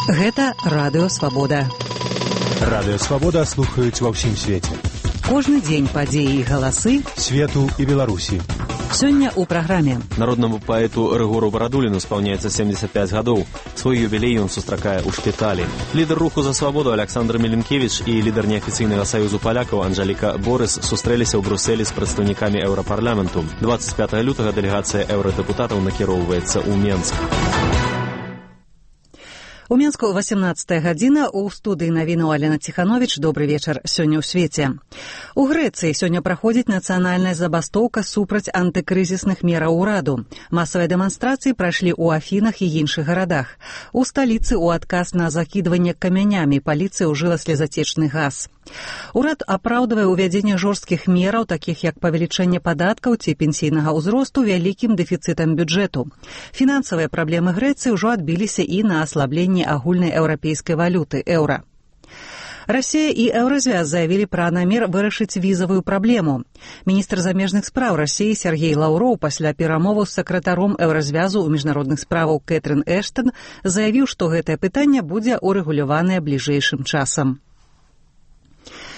Гэта Радыё Свабода. Радыё Свабода слухаюць ва ўсім свеце. Кожны дзень падзеі і галасы свету і Беларусі. Сёння ў праграме. Народнаму паэту Рыгору Барадуліну спаўняецца 75 гадоў. Свой юбілей ён сустракае ў шпіталі. Лідар руху за свабоду Александр Меленкевіч і лідар неафіцыйнага саюзу палякаў Анжаліка Борыс сустрэліся ў Брусэлі з прадстаўнікамі еўрапарламенту. 25 лютага дэлегацыя еўрадэпутатаў накіроўваецца ў Менск. У Менску 18 гадзіна, у студыі навінаў Алена Ціхановіч. Добры вечар сёння ў свеце. У Грэцыі сёння праходзіць нацыянальная забастоўка супраць антыкрызісных мераў ураду. Масавыя дэманстрацыі прайшлі ў Афінах і іншых гарадах. У сталіцы ў адказ на закідванне камянямі паліцыя ўжыла слезацечны газ. Урад апраўдвае ўвядзенне жорсткіх мераў, такіх як павелічэнне падаткаў ці пенсійнага ўзросту вялікім дэфіцытам бюджэту. Фінансавыя праблемы Грэцыі ўжо адбіліся і на аслабленне агульнай еўрапейскай валюты еўра. Расія і Еўразвяз заявілі пра намер вырашыць візавую праблему. Міністр замежных спраў Расіі Сергей Лаўроў пасля перамоваў з сакратаром Еўразвязу ў міжнародных справаў Кэтрын Эштон заявіў, што гэтае пытанне будзе урэгуляванае бліжэйшым часам.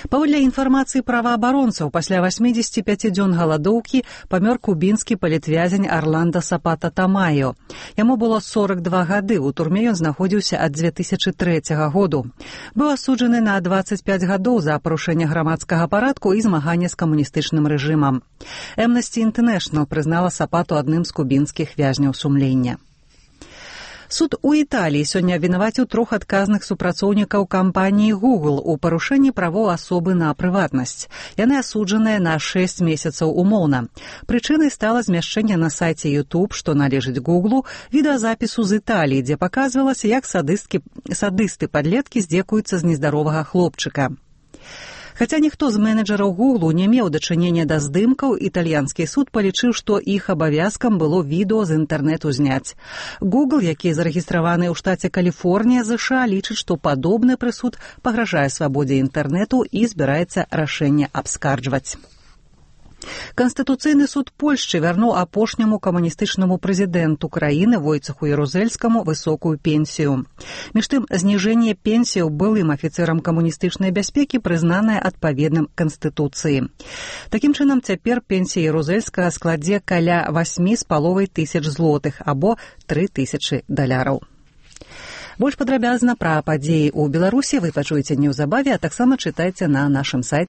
Паводле інфармацыі праваабаронцаў, пасля 85 дзён галадоўкі памёр кубінскі палітвязень Арландо Сапата Тамаё. Яму было 42 гады, у турме ён знаходзіўся ад 2003 году. Быў асуджаны на 25 гадоў за парушэнне грамадскага парадку і змаганне з камуністычным рэжымам. Amnesty International прызнала Сапату адным з кубінскіх вязняў сумлення. Суд у Італіі сёння абвінаваціў 3 адказных супрацоўнікаў кампаніі Google у парушэнні правоў асобы на прыватнасць. Яны асуджаныя на 6 месяцаў умоўна. Прычынай стала змяшчэнне на сайце YouTube, што належыць Google, відэазапісу з Італіі, дзе паказвалася, як садысты-падлеткі здзекуюцца з нездаровага хлопчыка. Хаця ніхто з менеджераў Google не меў дачынення да здымкаў, італьянскі суд палічыў, што іх абавязкам было відэо з інтэрнэту зняць. Google, які зарэгістраваны ў штаце Каліфорнія, ЗША, лічыць, што падобны прысуд пагражае свабодзе інтэрнэту і збіраецца рашэнне абскарджваць. Канстытуцыйны суд Польшчы вярнуў апошняму камуністычнаму прэзідэнту краіны Войцеху Ярузельскаму высокую пенсію. Між тым, зніжэнне пенсіяў былым афіцэрам камуністычнай бяспекі прызнанае адпаведным Канстытуцыі. Такім чынам, цяпер пенсія Ярузельскага складзе каля 8,5 тысяч злотых або $3000. Больш падрабязна пра падзеі ў Беларусі вы пачуеце неўзабаве, а таксама чытайце на нашым сайце